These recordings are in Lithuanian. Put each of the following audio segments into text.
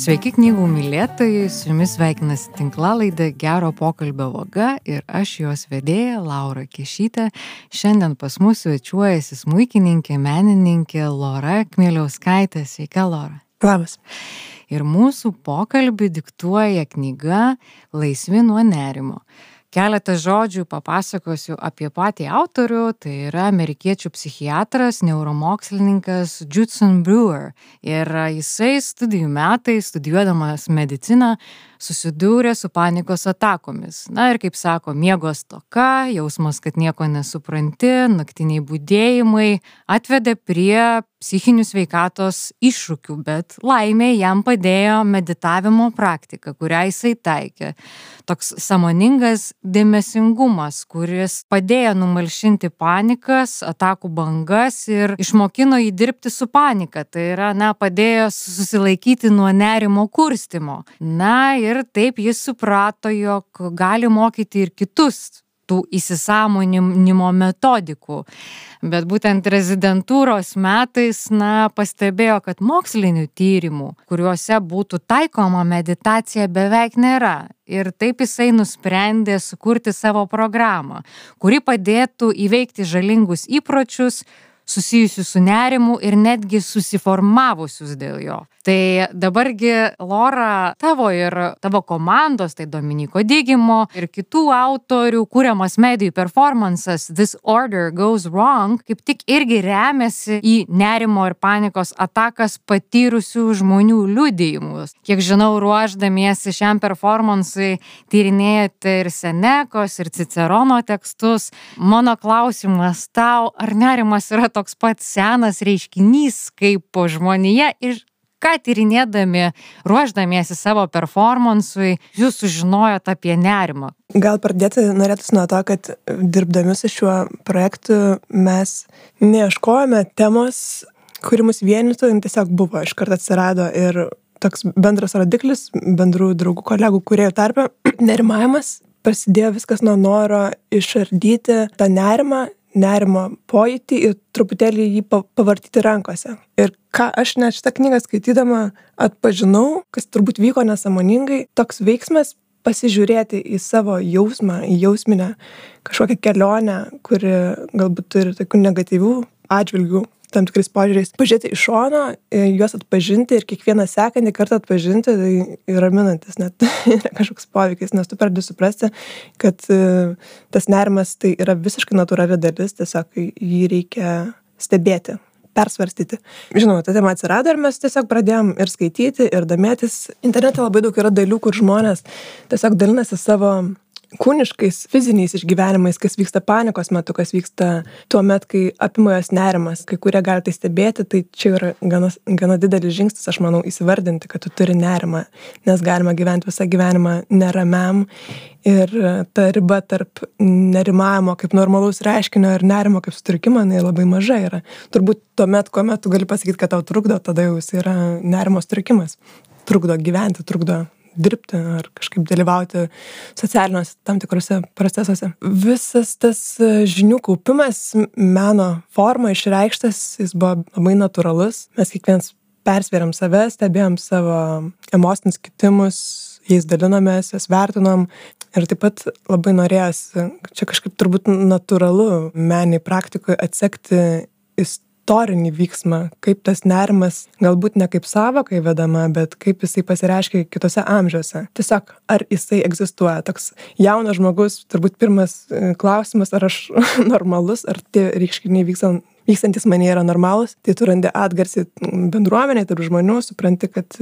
Sveiki knygų mylėtojai, su jumis sveikinasi tinklalaidė Gero pokalbio vaga ir aš jos vedėja Laura Kešytė. Šiandien pas mus svečiuojasi smuikininkė, menininkė Lora Kmieliauskaitė. Sveika, Lora. Labas. Ir mūsų pokalbį diktuoja knyga Laisvi nuo nerimo. Keletą žodžių papasakosiu apie patį autorių, tai yra amerikiečių psichiatras, neuromokslininkas Judson Brewer. Ir jisai studijų metais, studijuodamas mediciną, susidūrė su panikos atakomis. Na ir kaip sako, miego stoka, jausmas, kad nieko nesupranti, naktiniai budėjimai atvedė prie psichinių sveikatos iššūkių, bet laimė jam padėjo meditavimo praktika, kurią jisai taikė. Toks sąmoningas dėmesingumas, kuris padėjo numalšinti panikas, atakų bangas ir išmokino jį dirbti su panika. Tai yra, padėjo susilaikyti nuo nerimo kurstymo. Ir taip jis suprato, jog gali mokyti ir kitus tų įsisąmoninimo metodikų. Bet būtent rezidentūros metais, pastebėjo, kad mokslinių tyrimų, kuriuose būtų taikoma meditacija, beveik nėra. Ir taip jisai nusprendė sukurti savo programą, kuri padėtų įveikti žalingus įpročius, susijusius su nerimu ir netgi susiformavusius dėl jo. Tai dabargi, Lora, tavo ir tavo komandos, tai Dominiko Digimo ir kitų autorių kuriamas medijų performances This Order Goes Wrong, kaip tik irgi remiasi į nerimo ir panikos atakas patyrusių žmonių liudijimus. Kiek žinau, ruošdamiesi šiam performansui tyrinėjate ir Senekos, ir Cicerono tekstus. Mano klausimas tau, ar nerimas yra toks pat senas reiškinys kaip žmonija ir ką tyrinėdami, ruošdamiesi savo performansui, jūs sužinojot apie nerimą? Gal pradėti norėtųsi nuo to, kad dirbdami su šiuo projektu mes neieškojome temos, kuri mus vienytų, tiesiog buvo, iškart atsirado ir toks bendras rodiklis, bendrų draugų, kolegų, kūrėjų tarpe, nerimavimas. Prasidėjo viskas nuo noro išardyti tą nerimo pojūtį ir truputėlį jį pavartyti rankose. Ir ką aš net šitą knygą skaitydama atpažinau, kas turbūt vyko nesąmoningai, toks veiksmas pasižiūrėti į savo jausmą, į jausminę kažkokią kelionę, kuri galbūt turi tokių negatyvių atžvilgių, tam tikrais požiūriais, pažiūrėti iš šono, juos atpažinti ir kiekvieną sekantį kartą atpažinti, tai raminantis net yra kažkoks poveikis, nes tu pradedi suprasti, kad tas nerimas tai yra visiškai natūrali dalis, tiesiog jį reikia stebėti, persvarstyti. Žinoma, ta tema atsirado ir mes tiesiog pradėjom ir skaityti, ir domėtis. Internete labai daug yra dalių, kur žmonės tiesiog dalinasi savo kūniškais, fiziniais išgyvenimais, kas vyksta panikos metu, kas vyksta tuo met, kai apima jos nerimas. Kai kurie gali tai stebėti, tai čia yra gana didelis žingsnis, aš manau, įsivardinti, kad tu turi nerimą, nes galima gyventi visą gyvenimą neramiam ir ta riba tarp nerimavimo kaip normalaus reiškinio ir nerimo kaip sutrikimo, jinai labai maža yra. Turbūt tuomet, kuomet tu gali pasakyti, kad tau trukdo, tada jau jis yra nerimo sutrikimas. Trukdo gyventi, trukdo dirbti ar kažkaip dalyvauti socialiniuose tam tikrose procesuose. Visas tas žinių kaupimas, meno forma išreikštas, jis buvo labai natūralus. Mes kiekvienas persvėrėm save, stebėjom savo emocinius kitimus, jais dalinomės, jas vertinom. Ir taip pat labai norėjosi, čia kažkaip turbūt natūralu meniniai praktikoje atsekti istorinį vyksmą, kaip tas nerimas galbūt ne kaip sąvoka įvedama, bet kaip jisai pasireiškia kitose amžiuose. Tiesiog, ar jisai egzistuoja. Toks jaunas žmogus, turbūt pirmas klausimas, ar aš normalus, ar tie reiškiniai vykstantis manyje yra normalus. Tai tu randi atgarsį bendruomenėje, tarp žmonių, supranti, kad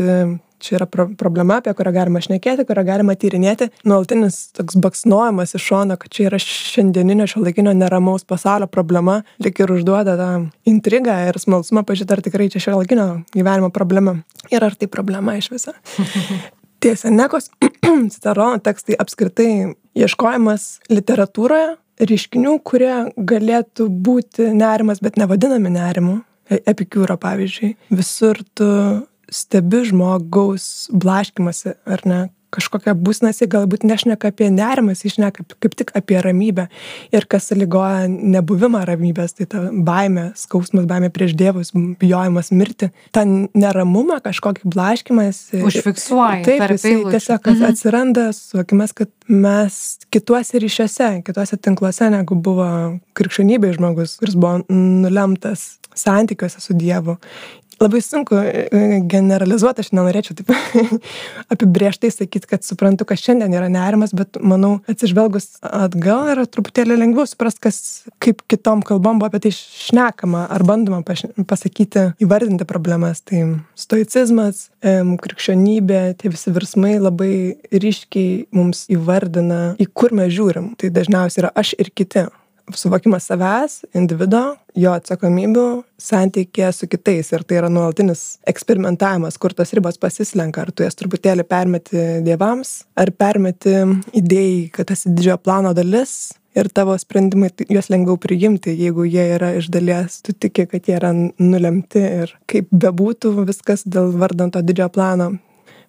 čia yra problema, apie kurią galima šnekėti, kurią galima tyrinėti. Nuolatinis toks baksnojimas iš šono, kad čia yra šiandieninio šiuolaikinio neramaus pasaulio problema, lyg ir užduoda tą intrigą ir smalsumą pažiūrėti, ar tikrai čia šiuolaikinio gyvenimo problema. Ir ar tai problema iš viso. Tie Senekos, Cicerono tekstai apskritai ieškojimas literatūroje reiškinių, kurie galėtų būti nerimas, bet nevadinami nerimu. Epikiūro, pavyzdžiui. Visur tu stebi žmogaus blaškymasi, ar ne, kažkokią būseną, jis galbūt nešneka apie nerimą, jis šneka kaip tik apie ramybę. Ir kas sąlygoja nebuvimą ramybės, tai ta baimė, skausmas, baimė prieš dievus, bijojimas mirti. Ta neramumą, kažkokį blaškymą. Užfiksuoja. Taip, jisai tiesiog atsiranda, suvokimas, kad mes kituose ryšiuose, kituose tinkluose, negu buvo krikščionybėje žmogus, kuris buvo nulemtas santykiuose su Dievu. Labai sunku generalizuoti, aš nenorėčiau taip apibrėžtai sakyti, kad suprantu, kas šiandien yra nerimas, bet manau, atsižvelgus atgal yra truputėlį lengviau suprast, kaip kitom kalbom buvo apie tai šnekama ar bandoma pasakyti, įvardinti problemas. Tai stoicizmas, krikščionybė, tie visi virsmai labai ryškiai mums įvardina, į kur mes žiūrim. Tai dažniausiai yra aš ir kiti. Suvokimas savęs, individo, jo atsakomybių, santykė su kitais. Ir tai yra nuolatinis eksperimentavimas, kur tos ribos pasislenka. Ar tu jas truputėlį permeti dievams, ar permeti idėjai, kad esi didžiojo plano dalis ir tavo sprendimai juos lengviau priimti, jeigu jie yra iš dalies, tu tiki, kad jie yra nulemti ir kaip bebūtų viskas dėl vardant to didžiojo plano.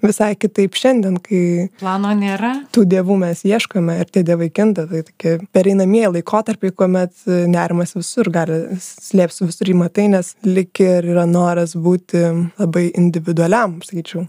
Visai kitaip šiandien, kai plano nėra, tų dievų mes ieškome ir tie dievai kinta, tai tokie pereinamieji laikotarpiai, kuomet nerimas visur gali slėpti, visur jį matai, nes lik ir yra noras būti labai individualiam, sakyčiau.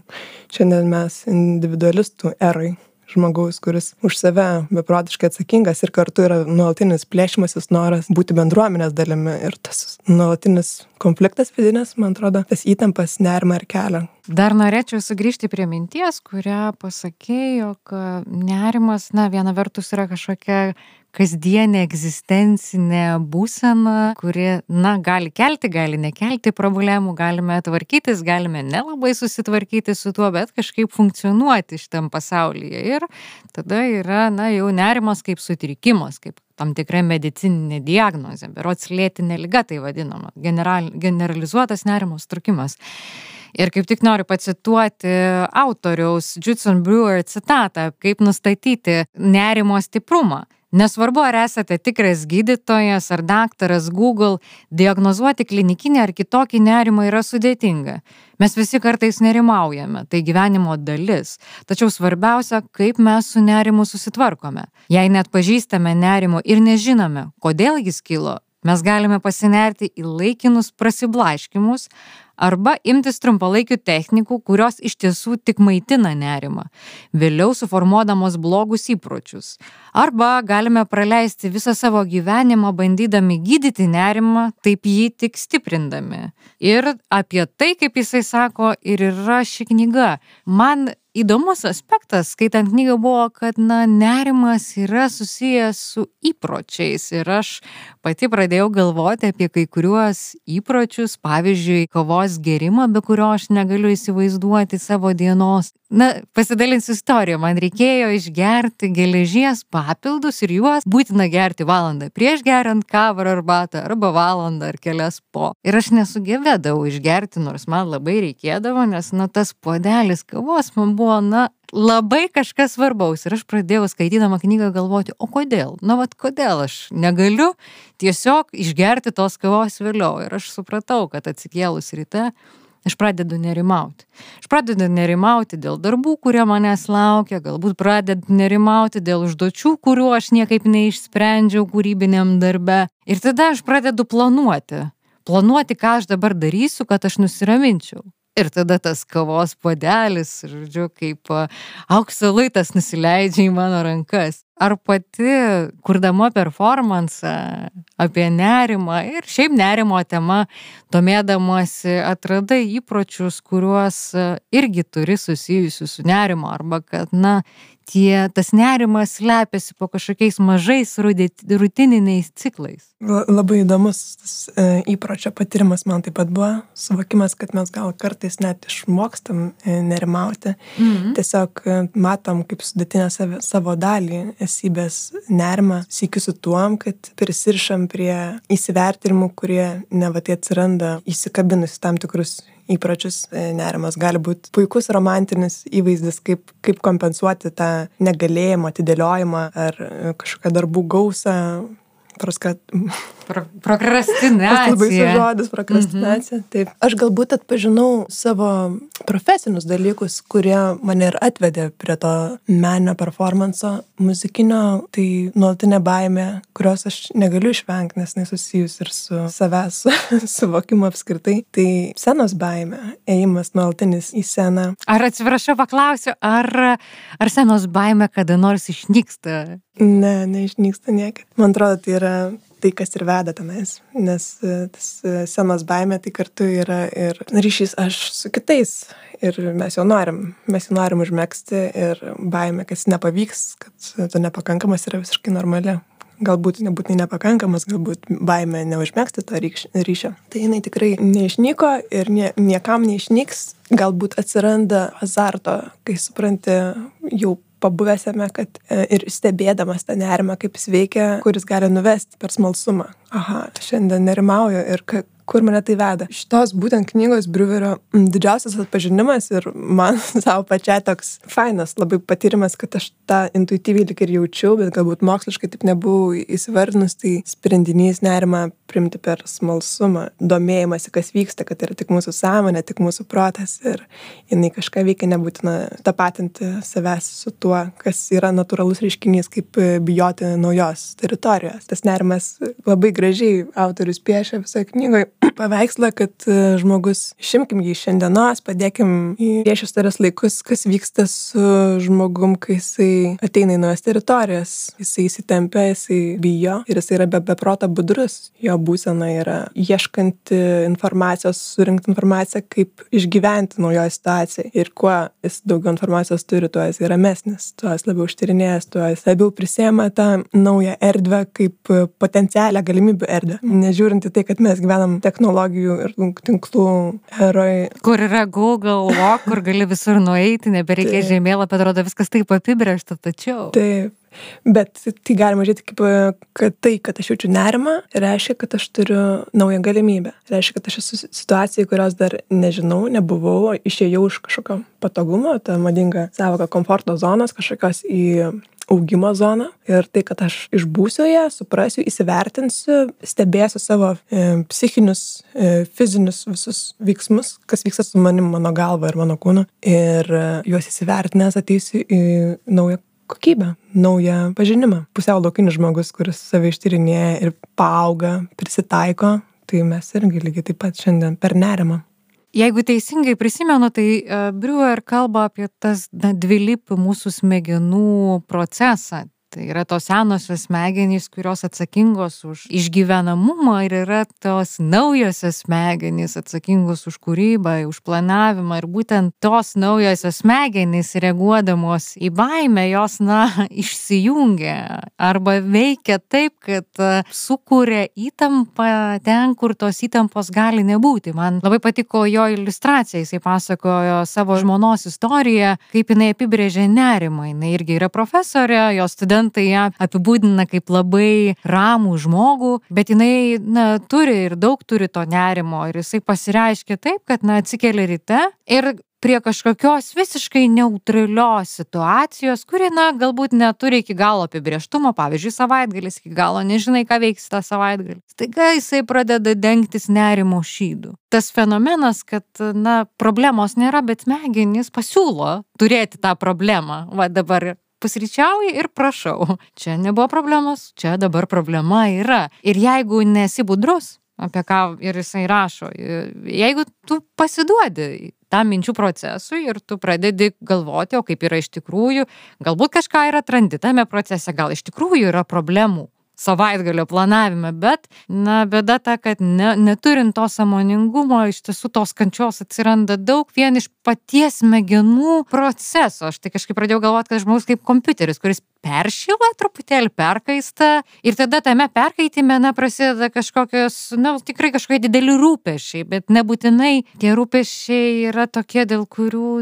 Šiandien mes individualistų erai. Žmogaus, kuris už save beprotiškai atsakingas ir kartu yra nuolatinis plėšimasis noras būti bendruomenės dalimi ir tas nuolatinis konfliktas vidinis, man atrodo, tas įtampas nerimą ir kelia. Dar norėčiau sugrįžti prie minties, kurią pasakė, jog nerimas, viena vertus yra kažkokia kasdienė egzistencinė būsena, kuri, gali kelti, gali nekelti problemų, galime tvarkytis, galime nelabai susitvarkyti su tuo, bet kažkaip funkcionuoti šitam pasaulyje. Ir tada yra, jau nerimas kaip sutrikimas, kaip tam tikra medicininė diagnozė, berods lėtinė liga tai vadinama, generalizuotas nerimo sutrikimas. Ir kaip tik noriu pacituoti autoriaus Judson Brewer citatą, kaip nustatyti nerimo stiprumą. Nesvarbu, ar esate tikras gydytojas ar daktaras Google, diagnozuoti klinikinį ar kitokį nerimą yra sudėtinga. Mes visi kartais nerimaujame, tai gyvenimo dalis. Tačiau svarbiausia, kaip mes su nerimu susitvarkome. Jei net pažįstame nerimo ir nežinome, kodėl jis kilo, mes galime pasinerti į laikinus prasiblaškymus arba imtis trumpalaikių technikų, kurios iš tiesų tik maitina nerimą, vėliau suformuodamos blogus įpročius. Arba galime praleisti visą savo gyvenimą bandydami gydyti nerimą, taip jį tik stiprindami. Ir apie tai, kaip jisai sako, ir yra ši knyga. Man įdomus aspektas, skaitant knygą, buvo, kad nerimas yra susijęs su įpročiais ir aš pati pradėjau galvoti apie kai kuriuos įpročius, pavyzdžiui, kavos gėrimą, be kurio aš negaliu įsivaizduoti savo dienos. Pasidalinsiu istoriją, man reikėjo išgerti geležies papildus ir juos būtina gerti valandą prieš geriant kavą ar arbatą, arba valandą ar kelias po. Ir aš nesugebėdavau išgerti, nors man labai reikėdavo, nes tas puodelis kavos man buvo labai kažkas svarbaus. Ir aš pradėjau skaitydama knygą galvoti, o kodėl? Kodėl aš negaliu tiesiog išgerti tos kavos vėliau. Ir aš supratau, kad atsikėlus ryte aš pradedu nerimauti. Aš pradedu nerimauti dėl darbų, kurie manęs laukia, galbūt pradedu nerimauti dėl užduočių, kurių aš niekaip neišsprendžiau kūrybiniam darbe. Ir tada aš pradedu planuoti, ką aš dabar darysiu, kad aš nusiraminčiau. Ir tada tas kavos puodelis, kaip aukso luitas nusileidžia į mano rankas. Ar pati, kurdama performansą apie nerimą ir šiaip nerimo tema, domėdamasi, atradai įpročius, kuriuos irgi turi susijusių su nerimo, arba kad, tas nerimas slepiasi po kažkokiais mažais rutininiais ciklais? Labai įdomus įpročio patyrimas man taip pat buvo, suvokimas, kad mes gal kartais net išmokstam nerimauti. Tiesiog matom kaip sudėtinę savo dalį esybės nerimą, sykiu su tuom, kad prisirišam prie įsivertinimų, kurie tai atsiranda įsikabinus tam tikrus įpročius. Nerimas gali būti puikus romantinis įvaizdis, kaip kompensuoti tą negalėjimą, atidėliojimą ar kažkokią darbų gausą, Prokrastinacija. Labai su žodis prokrastinacija. Taip. Aš galbūt atpažinau savo profesinius dalykus, kurie mane ir atvedė prie to meninio performanso muzikinio, tai nuolatinė baimė, kurios aš negaliu išvengti, nes jinai susijus ir su savęs suvokimu apskritai. Tai scenos baimė, ėjimas nuolatinis į sceną. Ar atsiprašau paklausiu, ar scenos baimė kada nors išnyksta? Ne, neišnyksta niekad. Man atrodo, tai yra tai, kas ir veda tenais, nes tas scenos baimė tai kartu yra ir ryšys aš su kitais. Ir mes jau norim užmegzti ir baimė, kad nepavyks, kad tu nepakankamas yra visiškai normali. Galbūt nebūtinai nepakankamas, galbūt baimė neužmegzti to ryšio. Tai jinai tikrai neišnyko ir niekam neišnyks. Galbūt atsiranda azarto, kai supranti jau pabuvęsime, kad ir stebėdamas tą nerimą, kaip jis veikia, kuris gali nuvesti per smalsumą. Aha, šiandien nerimauju ir kur mane tai veda. Šitos būtent knygos Briuverio didžiausias atpažinimas ir man savo pačiai toks fainas labai patyrimas, kad aš tą intuityviai lyg ir jaučiau, bet galbūt moksliškai taip nebuvau įsivardinus, tai sprendinys nerimą priimti per smalsumą, domėjimąsi, kas vyksta, kad yra tik mūsų sąmonė, tik mūsų protas ir jinai kažką veikia, nebūtina tapatinti savęs su tuo, kas yra natūralus reiškinys, kaip bijoti naujos teritorijos. Tas nerimas labai gražiai autorius piešia visoje knygoje paveikslą, kad žmogus, išimkim jį iš šiandienos, padėkim į priešistorės laikus, kas vyksta su žmogum, kai jisai ateina į naujas teritorijas, jisai įsitempia, jisai bijo ir jisai yra beproto budrus. Jo būsena yra ieškanti informacijos, surinkti informaciją, kaip išgyventi naujoje situacijoje. Ir kuo jis daugiau informacijos turi, tuo jis yra ramesnis, tuo jis labiau užtirinėjęs, tuo jis labiau prisėma tą naują erdvę kaip potencialią galimybių erdvę. Nežiūrint į tai, kad mes gyvenam technologijų ir tinklų eroj. Kur yra Google, kur gali visur nueiti, nebereikia žemėlapio, atrodo viskas taip apibrėžta, tačiau. Taip. Bet tai galima žiūrėti kaip, kad tai, kad aš jaučiu nerimą, reiškia, kad aš turiu naują galimybę. Reiškia, kad aš esu situacijai, kurios dar nežinau, nebuvau, išėjau iš kažkokio patogumo, ta madinga savoka komforto zonos, kažkokios į augimo zoną. Ir tai, kad aš išbūsiu ją, suprasiu, įsivertinsiu, stebėsiu savo psichinius, fizinius visus veiksmus, kas vyksta su manim, mano galva ir mano kūnu. Ir juos įsivertinęs ateisiu į naują kokybę, naują pažinimą. Pusiau laukinis žmogus, kuris save ištyrinėja ir paauga, prisitaiko, tai mes irgi lygiai taip pat šiandien per nerimą. Jeigu teisingai prisimenu, tai Briuer kalba apie tas dvilypį mūsų smegenų procesą. Tai yra tos senosios smegenys, kurios atsakingos už išgyvenamumą ir yra tos naujosios smegenys atsakingos už kūrybą, už planavimą. Ir būtent tos naujosios smegenys reaguodamos į baimę, jos, išsijungia arba veikia taip, kad sukuria įtampą ten, kur tos įtampos gali nebūti. Man labai patiko jo iliustracija, jisai pasakojo savo žmonos istoriją, kaip jinai apibrėžė nerimą. Jinai irgi yra profesorė, jos studentai ją apibūdina kaip labai ramų žmogų, bet jinai turi ir daug turi to nerimo ir jisai pasireiškia taip, kad atsikeli ryte ir prie kažkokios visiškai neutralios situacijos, kuri galbūt neturi iki galo apibrėžtumo, pavyzdžiui, savaitgalis iki galo, nežinai, ką veiks tą savaitgalį. Staiga jisai pradeda dengtis nerimo šydu. Tas fenomenas, kad, problemos nėra, bet smegenys pasiūlo turėti tą problemą. Va dabar pusryčiauji ir prašau. Čia nebuvo problemos, čia dabar problema yra. Ir jeigu nesi budrus, apie ką ir jisai rašo, jeigu tu pasiduodi tam minčių procesui ir tu pradedi galvoti, o kaip yra iš tikrųjų, galbūt kažką ir atrandi tame procese, gal iš tikrųjų yra problemų savaitgalio planavime, bet, bėda ta, kad neturint to sąmoningumo, iš tiesų tos kančios atsiranda daug vien iš paties smegenų proceso. Aš tai kažkaip pradėjau galvoti, kad žmogus kaip kompiuteris, kuris peršyla truputėlį, perkaista ir tada tame perkaitime, prasideda kažkokios, tikrai kažkokie dideli rūpesčiai, bet nebūtinai tie rūpesčiai yra tokie, dėl kurių,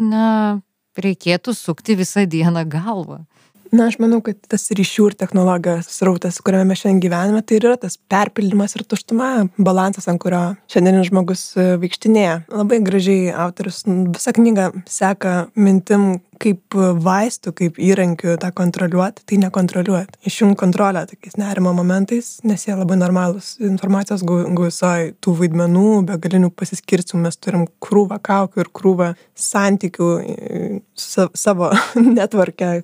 reikėtų sukti visą dieną galvą. Aš manau, kad tas ryšių ir technologijos srautas, kuriame mes šiandien gyvename, tai yra tas perpildymas ir tuštuma, balansas, ant kurio šiandienis žmogus vaikštinėja. Labai gražiai autorius visą knygą seka mintim, kaip vaistų, kaip įrankių tą kontroliuoti, tai nekontroliuoti. Išjungt kontrolę tokiais nerimo momentais, nes jie labai normalūs. Informacijos gausoj, tų vaidmenų, begalinių pasiskirstimų, mes turim krūvą kaukių ir krūvą santykių savo netvarkę,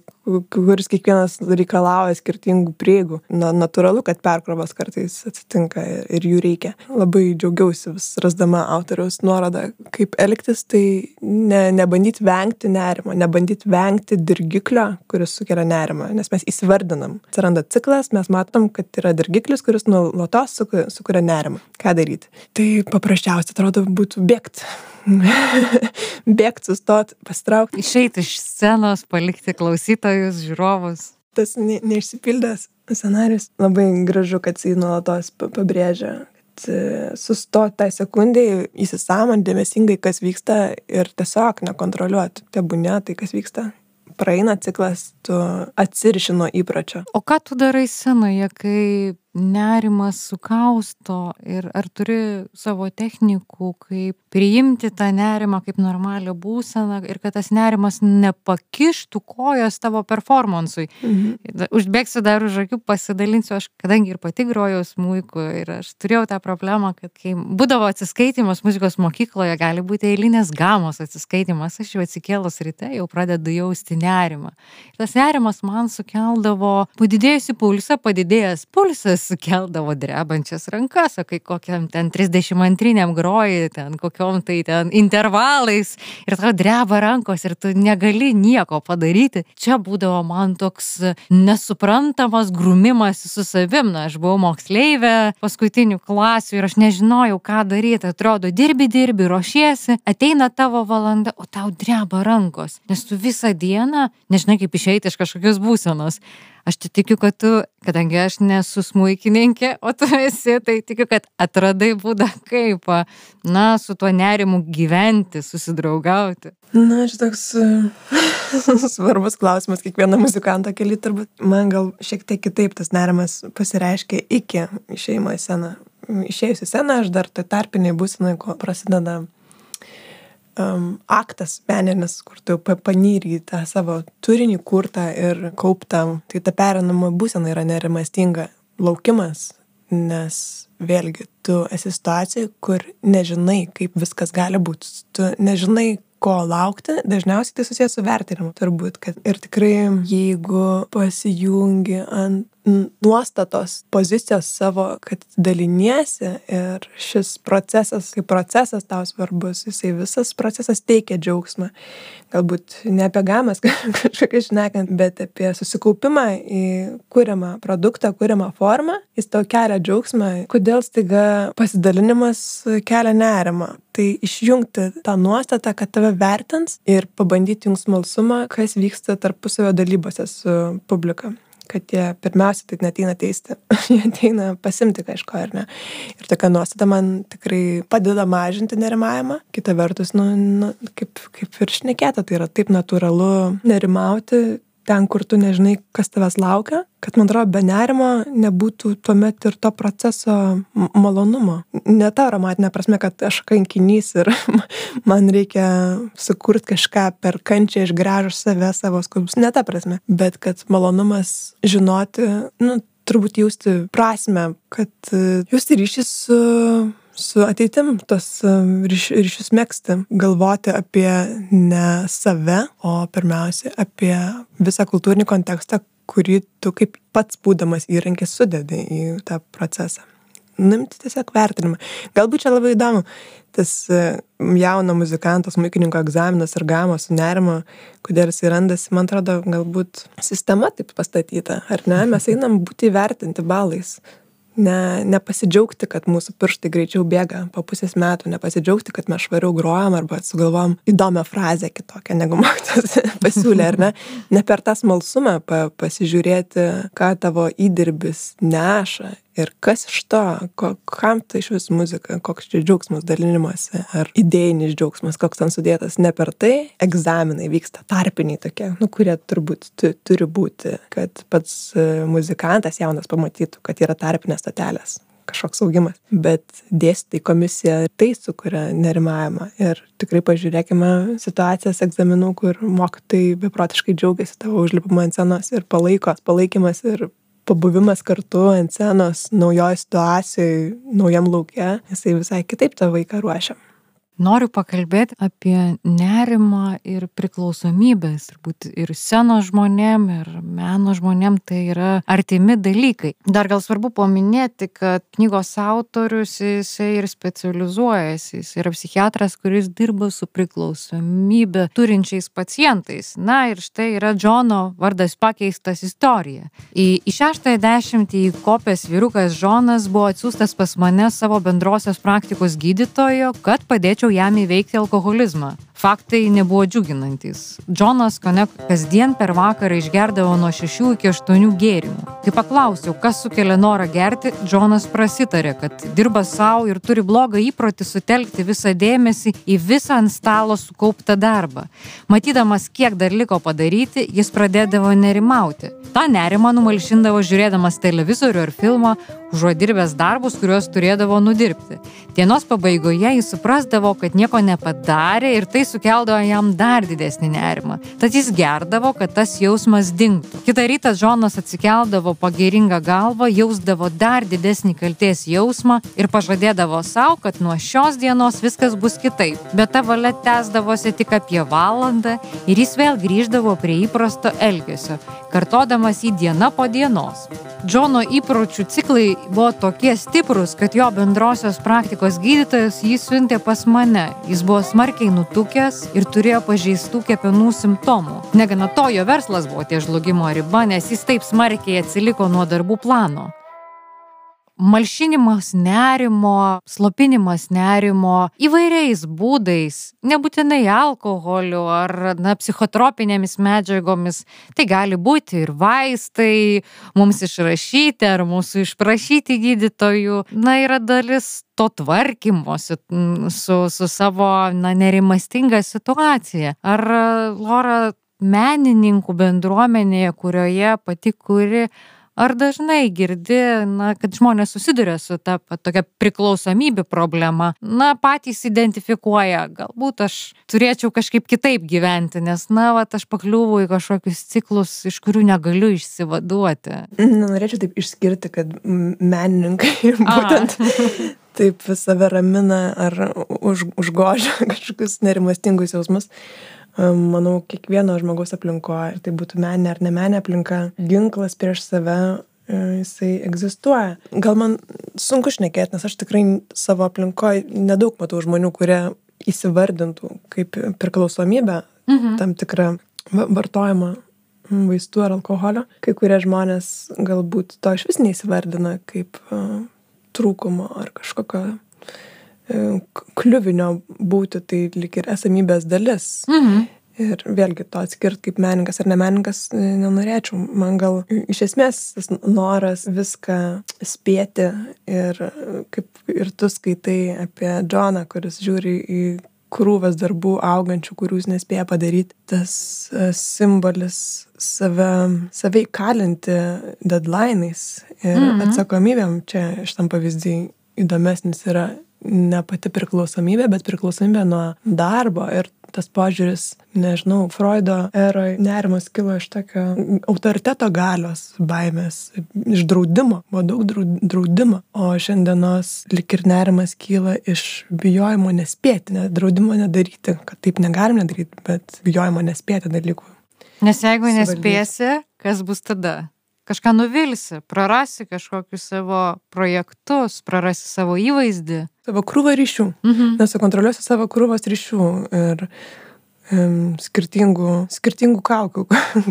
kuris kiekvienas reikalauja skirtingų prieigų. Natūralu, kad perkrovos kartais atsitinka ir jų reikia. Labai džiaugiausi vis rasdama autoriaus nuorodą, kaip elgtis, tai nebandyti vengti nerimo, nebandyti vengti dirgiklio, kuris sukelia nerimą, nes mes įsivardinam. Atsiranda ciklas, mes matom, kad yra dirgiklis, kuris nuolatos sukuria nerimą. Ką daryti? Tai paprasčiausiai atrodo būtų bėgti. Bėgti, sustot, pasitraukti. Išeiti iš scenos, palikti klausytojus, žiūrovus. Tas neišsipildęs scenarius. Labai gražu, kad jis nuolatos pabrėžia, kad sustot tą sekundį, įsisąmonint dėmesingai, kas vyksta ir tiesiog nekontroliuoti. Tebūnie tai, kas vyksta. Praeina ciklas, tu atsiriši nuo įpročio. O ką tu darai scenoje, kai nerimas sukausto ir ar turi savo technikų, kaip priimti tą nerimą kaip normalią būseną ir kad tas nerimas nepakištų kojos tavo performansui. Užbėgsiu dar už akių, pasidalinsiu, aš kadangi ir pati grojau smuiku ir aš turėjau tą problemą, kad kai būdavo atsiskaitimas muzikos mokykloje, gali būti eilinės gamos atsiskaitimas, aš jau atsikėlus ryte jau pradedu jausti nerimą. Ir tas nerimas man sukeldavo padidėjusį pulsą, padidėjęs pulsas sukeldavo drebančias rankas, o kai kokiam ten 32 groji, ten kokiom tai ten intervalais ir tau dreba rankos ir tu negali nieko padaryti. Čia būdavo man toks nesuprantamas grumimas su savim. Na, aš buvau moksleivė paskutinių klasių ir aš nežinojau, ką daryti. Atrodo, dirbi, ruošiesi, ateina tavo valanda, o tau dreba rankos, nes tu visą dieną nežinai, kaip išeiti iš kažkokios būsenos. Aš tikiu, kad tu, kadangi aš nesu smuikininkė, o tu esi, tai tikiu, kad atradai būdą kaip, na, su tuo nerimu gyventi, susidraugauti. Na, šitoks svarbus klausimas kiekvieno muzikanto kely, turbūt man gal šiek tiek kitaip tas nerimas pasireiškia iki išėjimo į sceną. Išėjus į sceną, aš dar tai tarpiniai būsenai, ko prasideda aktas meninis, kur tu panyri į tą savo turinį kurtą ir kauptą. Tai ta pereinama būsena yra nerimastinga laukimas, nes vėlgi tu esi situacijai, kur nežinai, kaip viskas gali būti. Tu nežinai, ko laukti, dažniausiai tai susijęs su vertinimu, turbūt, kad ir tikrai jeigu pasijungi ant nuostatos pozicijos savo, kad daliniesi ir šis procesas, kaip procesas tau svarbus, jisai visas procesas teikia džiaugsmą. Galbūt ne apie gamas kažkokią šnekant, bet apie susikaupimą į kuriamą produktą, kuriamą formą, jis tau kelia džiaugsmą. Kodėl staiga pasidalinimas kelia nerimą? Tai išjungti tą nuostatą, kad tave vertins ir pabandyti jums smalsumą, kas vyksta tarpusavio dalybose su publika. Kad jie pirmiausia tai neateina teisti, jie ateina pasimti kažko, ar ne. Ir tokia nuostata man tikrai padeda mažinti nerimavimą. Kita vertus, kaip ir šnekėta, tai yra taip natūralu nerimauti ten, kur tu nežinai, kas tavęs laukia, kad, man atrodo, be nerimo nebūtų tuomet ir to proceso malonumo. Ne ta aromatinė prasme, kad aš kankinys ir man reikia sukurti kažką per kančią, išgręžus save, savo skausmus. Ne ta prasme, bet kad malonumas žinoti, turbūt jausti prasmę, kad jausti ryšį su ateitim, tos ryšius megzti, galvoti apie ne save, o pirmiausia apie visą kultūrinį kontekstą, kurį tu kaip pats būdamas įrankis sudedi į tą procesą. Nimti tiesiog vertinimą. Galbūt čia labai įdomu, tas jauno muzikanto, smuikininko egzaminas ir gamos su nerimo, kodėl jis randasi, man atrodo, galbūt sistema taip pastatyta, ar ne? Mes einam būti įvertinti balais. Nepasidžiaugti, kad mūsų pirštai greičiau bėga po pusės metų, nepasidžiaugti, kad mes švariau grojam arba sugalvojam įdomią frazę kitokią, negu mokytojas pasiūlė, ar ne? Ne per tą smalsumą pasižiūrėti, ką tavo įdirbis neša ir kas iš to, kam tai iš vis muzika, koks čia džiaugsmas dalinimuose, ar idėjinis džiaugsmas, koks ten sudėtas. Ne per tai egzaminai vyksta tarpiniai tokie, kurie turbūt turi būti, kad pats muzikantas jaunas pamatytų, kad yra tarpinės stotelės, kažkoks augimas. Bet dėstytojai komisija tai sukuria nerimavimą. Ir tikrai pažiūrėkime situacijas egzaminų, kur mokytojai beprotiškai džiaugiasi tavo užlipimą ant scenos ir palaikymas ir pabuvimas kartu ant scenos naujoj situacijoj, naujam lauke, jisai visai kitaip tą vaiką ruošia. Noriu pakalbėti apie nerimą ir priklausomybės. Turbūt ir scenos žmonėm, ir meno žmonėm tai yra artimi dalykai. Dar gal svarbu paminėti, kad knygos autorius jisai ir specializuojasi. Jis yra psichiatras, kuris dirba su priklausomybę turinčiais pacientais. Na ir štai yra Džono vardas pakeistas istorija. Į 60-ąjį įkopęs vyrukas Džonas buvo atsiųstas pas mane savo bendrosios praktikos gydytojo, kad padėčiau jam įveikti alkoholizmą. Faktai nebuvo džiuginantys. Džonas kone kasdien per vakarą išgerdavo nuo 6 iki 8 gėrimų. Kai paklausiau, kas sukelia norą gerti, Džonas prasitarė, kad dirba savo ir turi blogą įprotį sutelkti visą dėmesį į visą ant stalo sukauptą darbą. Matydamas, kiek dar liko padaryti, jis pradėdavo nerimauti. Ta nerimą numalšindavo žiūrėdamas televizorių ar filmą, užuot dirbęs darbus, kuriuos turėdavo nudirbti. Dienos pabaigoje jis suprasdavo, kad nieko nepadarė ir tai sukeldavo jam dar didesnį nerimą. Tad jis gerdavo, kad tas jausmas dingtų. Kitą rytą Džonas atsikeldavo pagėringą galvą, jausdavo dar didesnį kaltės jausmą ir pažadėdavo savo, kad nuo šios dienos viskas bus kitaip. Bet ta valia tęsdavosi tik apie valandą ir jis vėl grįždavo prie įprasto elgesio, kartodamas jį diena po dienos. Džono įpročių ciklai buvo tokie stiprus, kad jo bendrosios praktikos gydytojas jį siuntė pas mane. Jis buvo smarkiai nutukęs ir turėjo pažeistų kepenų simptomų. Negana to, jo verslas buvo ties žlugimo riba, nes jis taip smarkiai atsiliko nuo darbų plano. Malšinimas nerimo, slopinimas nerimo įvairiais būdais, nebūtinai alkoholiu ar psichotropinėmis medžiagomis. Tai gali būti ir vaistai, mums išrašyti ar mūsų išprašyti gydytojų. Yra dalis to tvarkymosi su savo nerimastinga situacija. Ar, Lora, menininkų bendruomenėje, kurioje pati kuri, ar dažnai girdi, kad žmonės susiduria su ta tokia priklausomybė problema, patys identifikuoja, galbūt aš turėčiau kažkaip kitaip gyventi, nes, aš pakliūvu į kažkokius ciklus, iš kurių negaliu išsivaduoti. Norėčiau taip išskirti, kad menininkai būtent taip save ramina ar užgožia kažkokius nerimastingus jausmus. Manau, kiekvieno žmogaus aplinkoje, tai būtų meninė ar nemeninė aplinka, ginklas prieš save, jisai egzistuoja. Gal man sunku šnekėti, nes aš tikrai savo aplinkoje nedaug matau žmonių, kurie įsivardintų kaip priklausomybę, tam tikrą vartojimą vaistų ar alkoholio. Kai kurie žmonės galbūt to iš vis neįsivardina kaip trūkumo ar kažkokio kliuvinio būti, tai lyg ir esamybės dalis. Ir vėlgi to atskirt kaip menininkas ar nemenininkas nenorėčiau. Man gal iš esmės tas noras viską spėti ir kaip ir tu skaitai apie Džoną, kuris žiūri į krūvas darbų augančių, kurių jis nespėja padaryti. Tas simbolis save įkalinti deadline'ais ir atsakomybėm. Čia šitam pavyzdį įdomesnis yra ne pati priklausomybė, bet priklausomybė nuo darbo. Ir tas požiūris, nežinau, Freudo eroj nerimas kilo iš tokio autoriteto galios baimės, iš draudimo, buvo daug draudimo. O šiandienos lyg ir nerimas kyla iš bijojimo nespėti, draudimo nedaryti, kad taip negalim nedaryti, bet bijojimo nespėti dalykų. Nes jeigu nespėsi, kas bus tada? Kažką nuvilsi, prarasi kažkokius savo projektus, prarasi savo įvaizdį. Savo krūvą ryšių. Nesukontroliuosi savo krūvos ryšių ir skirtingų kaukių,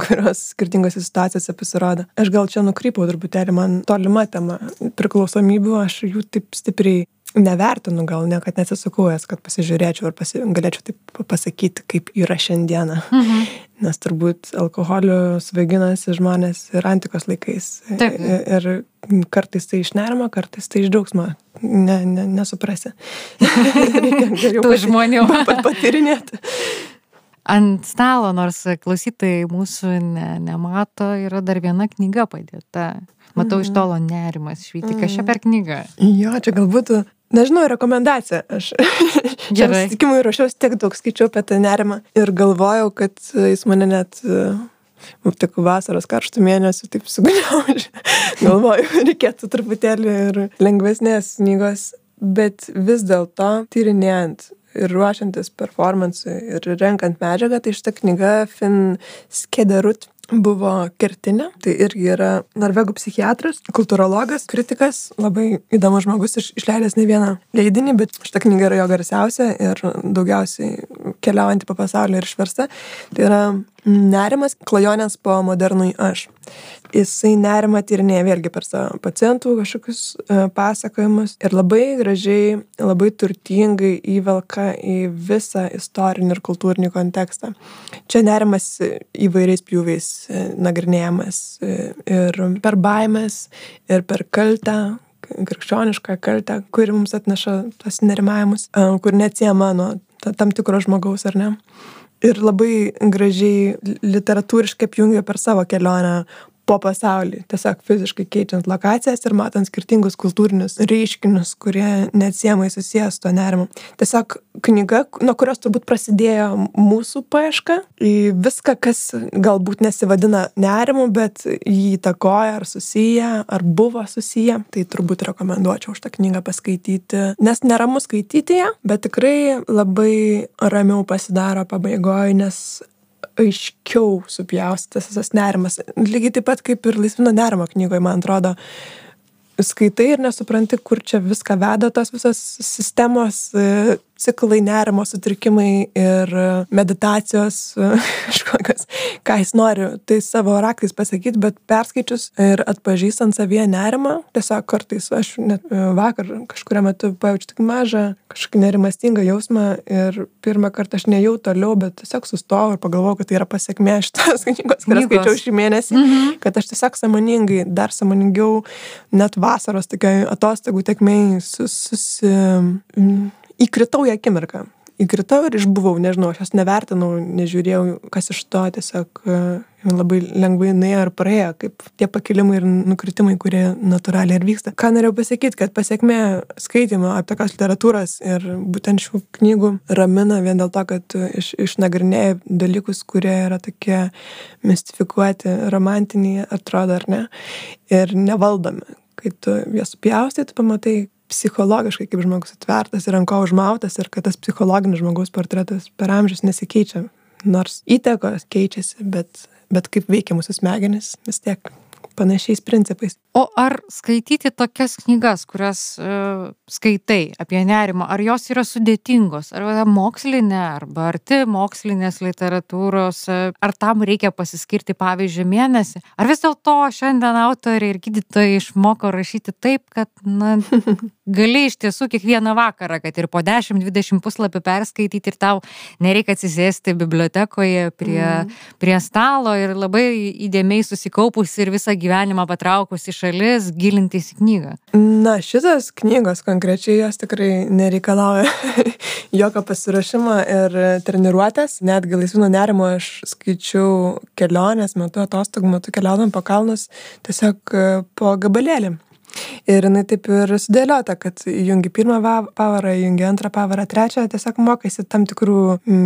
kurios skirtingose situacijose pasirodo. Aš gal čia nukrypau truputėlį, man tolima tema priklausomybių, aš jų taip stipriai nevertinu, gal niekad nesisukujęs, kad pasižiūrėčiau ir galėčiau taip pasakyti, kaip yra šiandieną. Nes turbūt alkoholiu svaiginasi žmonės ir antikos laikais. Taip. Ir kartais tai iš nerimo, kartais tai iš džiaugsmo. Nesuprasi. Tų žmonių. Patyrinėti. Ant stalo, nors klausytojai mūsų nemato, yra dar viena knyga padėta. Matau iš tolo nerimas švyti. Kas čia per knyga? Jo, čia galbūt, nežinau, rekomendacija. Aš čia susitikimui ruošiausi tiek daug, skaičiau apie tą nerimą ir galvojau, kad jis mane net tik vasaros karštų mėnesių taip sugniaužė. Galvoju, reikėtų truputėlį ir lengvesnės knygos, bet vis dėlto tyrinėjant ir ruošiantis performansui ir renkant medžiagą, tai šita knyga Finn Skederud buvo kertinė. Tai irgi yra norvegų psichiatras, kultūrologas, kritikas, labai įdomus žmogus, išleidęs ne vieną leidinį, bet šita knyga yra jo garsiausia ir daugiausiai keliaujanti po pasaulį ir išversta. Tai yra nerimas, klajonės po modernui aš. Jisai nerimą tyrinėja vėlgi per savo pacientų kažkokius pasakojimus ir labai gražiai, labai turtingai įvelka į visą istorinį ir kultūrinį kontekstą. Čia nerimas įvairiais pjūviais nagrinėjamas ir per baimės, ir per kaltę, krikščionišką kaltę, kuri mums atneša tas nerimavimus, kur neatsiejama nuo tam tikro žmogaus, ar ne? Ir labai gražiai literatūriškai apjungia per savo kelionę po pasaulį, tiesiog fiziškai keičiant lokacijas ir matant skirtingus kultūrinius reiškinius, kurie neatsiejamai susijęs su tuo nerimu. Tiesiog knyga, nuo kurios turbūt prasidėjo mūsų paieška į viską, kas galbūt nesivadina nerimu, bet jį įtakoja ar susiję, ar buvo susiję. Tai turbūt rekomenduočiau šitą knygą paskaityti, nes neramu skaityti ją, bet tikrai labai ramiau pasidaro pabaigoje, nes aiškiau supjaustytas visas nerimas. Lygiai taip pat kaip ir Laisvino nerimo knygoje, man atrodo, skaitai ir nesupranti, kur čia viską veda tos visos sistemos, ciklai, nerimo sutrikimai ir meditacijos kažkokios, ką jis nori tai savo raktais pasakyti, bet perskaičius ir atpažįstant savyje nerimą, tiesiog kartais aš net vakar kažkurio metu pajaučiu tik mažą kažkokį nerimastingą jausmą ir pirmą kartą aš nejau toliau, bet tiesiog sustojau ir pagalvojau, kad tai yra pasekmė šitos knygos, kurią skaičiau šį mėnesį, kad aš tiesiog sąmoningai, dar sąmoningiau, net vasaros tokioj atostogų tekmėj įkritau į akimirką. Įkritau ir išbuvau, nežinau, aš jos nevertinau, nežiūrėjau, kas iš to, tiesiog labai lengvai nuėjo ir praėjo, kaip tie pakilimai ir nukritimai, kurie natūraliai ir vyksta. Ką norėjau pasakyti, kad pasekmė skaitimo apie tokios literatūros ir būtent šių knygų ramina vien dėl to, kad išnagrinėja dalykus, kurie yra tokie mistifikuoti, romantiniai, atrodo ar ne, ir nevaldomi. Kai tu jas supjaustai, tu pamatai psichologiškai, kaip žmogus atvertas ir ant ko užmautas ir kad tas psichologinis žmogaus portretas per amžius nesikeičia. Nors įtakos keičiasi, bet kaip veikia mūsų smegenys, vis tiek panašiais principais. O ar skaityti tokias knygas, kurias skaitai apie nerimą, ar jos yra sudėtingos, ar yra mokslinė, arba arti mokslinės literatūros, ar tam reikia pasiskirti, pavyzdžiui, mėnesį? Ar vis dėlto šiandien autoriai ir gydytojai išmoko rašyti taip, kad gali iš tiesų kiekvieną vakarą, kad ir po 10-20 puslapį perskaityti ir tau nereikia atsisėsti bibliotekoje prie stalo ir labai įdėmiai susikaupus ir visą gyvenimą patraukus į šalis, gilintis į knygą? Na, šitas knygos konkrečiai jos tikrai nereikalauja jokio pasiruošimo ir treniruotės. Netgi Laisvino nerimo aš skaičiau kelionės metu, atostogų metu keliaudam po kalnus, tiesiog po gabalėlį. Ir jinai taip ir sudėliota, kad jungi pirmą pavarą, jungi antrą pavarą, trečią, tiesiog mokaisi tam tikrų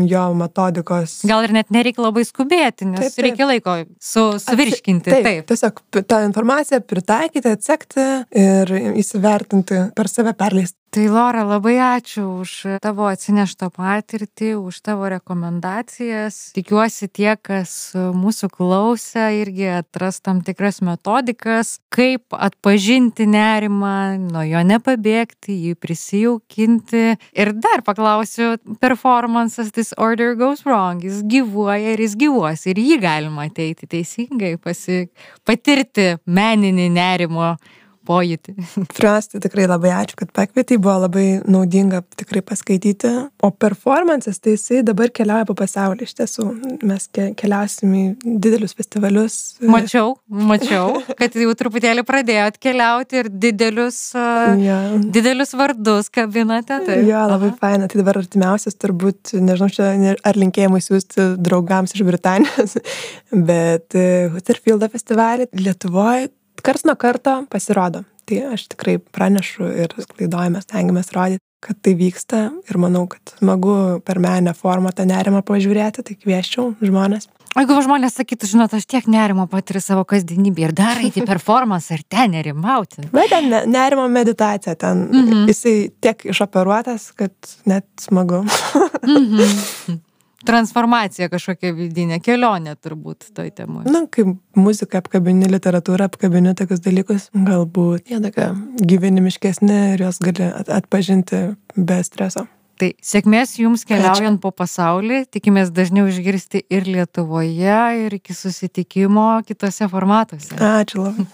jo metodikos. Gal ir net nereikia labai skubėti, nes taip. Reikia laiko suvirškinti. Taip, tiesiog tą informaciją pritaikyti, atsekti ir įsivertinti, per save perleisti. Tai Lora, labai ačiū už tavo atsineštą patirtį, už tavo rekomendacijas. Tikiuosi tie, kas mūsų klausė, irgi atras tam tikras metodikas, kaip atpažinti nerimą, nuo jo nepabėgti, jį prisijaukinti. Ir dar paklausiu, performances This Order Goes Wrong, jis gyvuoja ir jis gyvuos. Ir jį galima ateiti teisingai, patirti meninį nerimo pojūtį. Pirmiausia, tai tikrai labai ačiū, kad pakvietei, buvo labai naudinga tikrai paskaityti. O performances, tai jisai dabar keliauja po pasaulį. Iš tiesų, mes keliausim į didelius festivalius. Mačiau, kad jau truputėlį pradėjot keliauti ir didelius vardus kabinate. Tai. Jo, labai faina. Tai dabar artimiausias turbūt, nežinau, čia ar linkėjimai siūsti draugams iš Britanijos, bet Huddersfieldo festivalį Lietuvoje karts nuo karto pasirodo. Tai aš tikrai pranešu ir sklaidojame, stengiamės rodyti, kad tai vyksta ir manau, kad smagu per meninę formą tą nerimą pažiūrėti, tai kvieščiau žmonės. O jeigu žmonės sakytų, žinot, aš tiek nerimo patiriu savo kasdienybėje ir dar eiti performance ar ten nerimauti. Bet ten nerimo meditacija, ten jisai tiek išoperuotas, kad net smagu. Transformacija kažkokia vidinė, kelionė turbūt toj temui. Na, kaip muzika apkabini, literatūra apkabini tokius dalykus, galbūt jie tokia gyvenimiškesni ir jos gali atpažinti be streso. Tai sėkmės jums keliaujant po pasaulį, tikimės dažniau išgirsti ir Lietuvoje, ir iki susitikimo kitose formatuose. Ačiū labai.